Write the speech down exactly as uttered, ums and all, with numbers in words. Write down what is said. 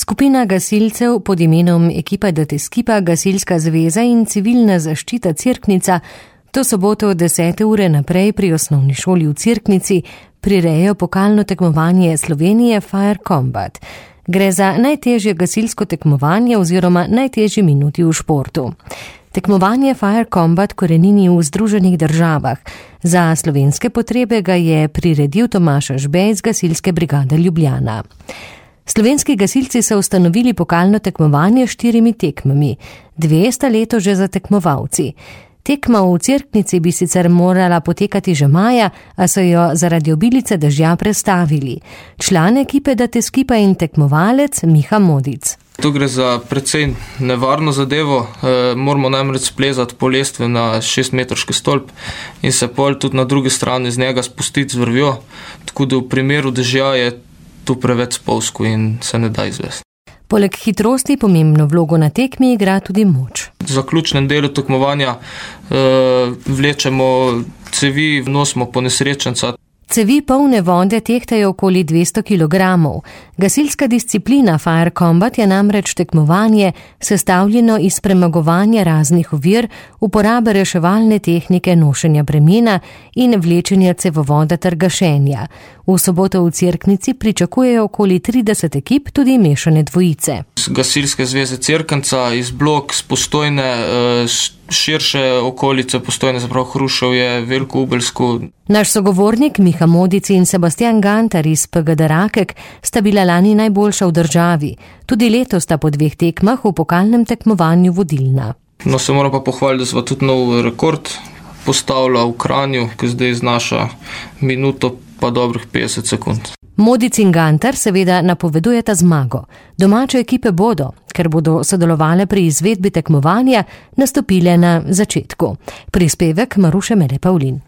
Skupina gasilcev pod imenom Ekipa da Teskipa, Gasilska zveza in Civilna zaščita Cerknica to soboto od desete ure naprej pri osnovni šoli v Cerknici prirejajo pokalno tekmovanje Slovenije Fire Combat. Gre za najtežje gasilsko tekmovanje oziroma najtežji minuti v športu. Tekmovanje Fire Combat korenini v Združenih državah. Za slovenske potrebe ga je priredil Tomaž Ažbej iz Gasilske brigade Ljubljana. Slovenski gasilci so ustanovili pokalno tekmovanje s štirimi tekmami. Dve sta leto že za tekmovalci. Tekma v Cerknici bi sicer morala potekati že maja, a so jo zaradi obilice dežja prestavili. Član ekipe da Teskipa in tekmovalec Miha Modic. Tu gre za precej nevarno zadevo, e, moramo namreč splezati po lestvi na šestmetrski stolp in se pol tudi na drugi strani z njega spustiti z vrvjo, tako da v primeru dežja je tu preveč spolzko in se ne da izvesti. Poleg hitrosti pomembno vlogo na tekmi igra tudi moč. V zaključnem delu tekmovanja e, vlečemo cevi, vnosimo ponesrečenca. Cevi polne vode tehtajo okoli dvesto kilogramov. Gasilska disciplina Fire Combat je namreč tekmovanje sestavljeno iz premagovanja raznih ovir, uporabe reševalne tehnike nošenja bremena in vlečenja cevovoda ter gašenja. V soboto v Cerknici pričakujejo okoli trideset ekip, tudi mešane dvojice. Z Gasilske zveze Cerknica, iz Blok, z Postojne, širše okolice Postojne, zaprav Hruševje, Veliko Ubelsko. Naš sogovornik Miha Modic in Sebastian Gantar iz P G D Rakek sta bila lani najboljša v državi. Tudi letos sta po dveh tekmah v pokalnem tekmovanju vodilna. No, se moram pa pohvaliti, da sva tudi nov rekord postavila v Kranju, ki zdaj znaša minuto pa dobrih petdeset sekund. Modic in Gantar seveda napovedujeta zmago. Domače ekipe bodo, ker bodo sodelovale pri izvedbi tekmovanja, nastopile na začetku. Prispevek Maruše Mele Pavlin.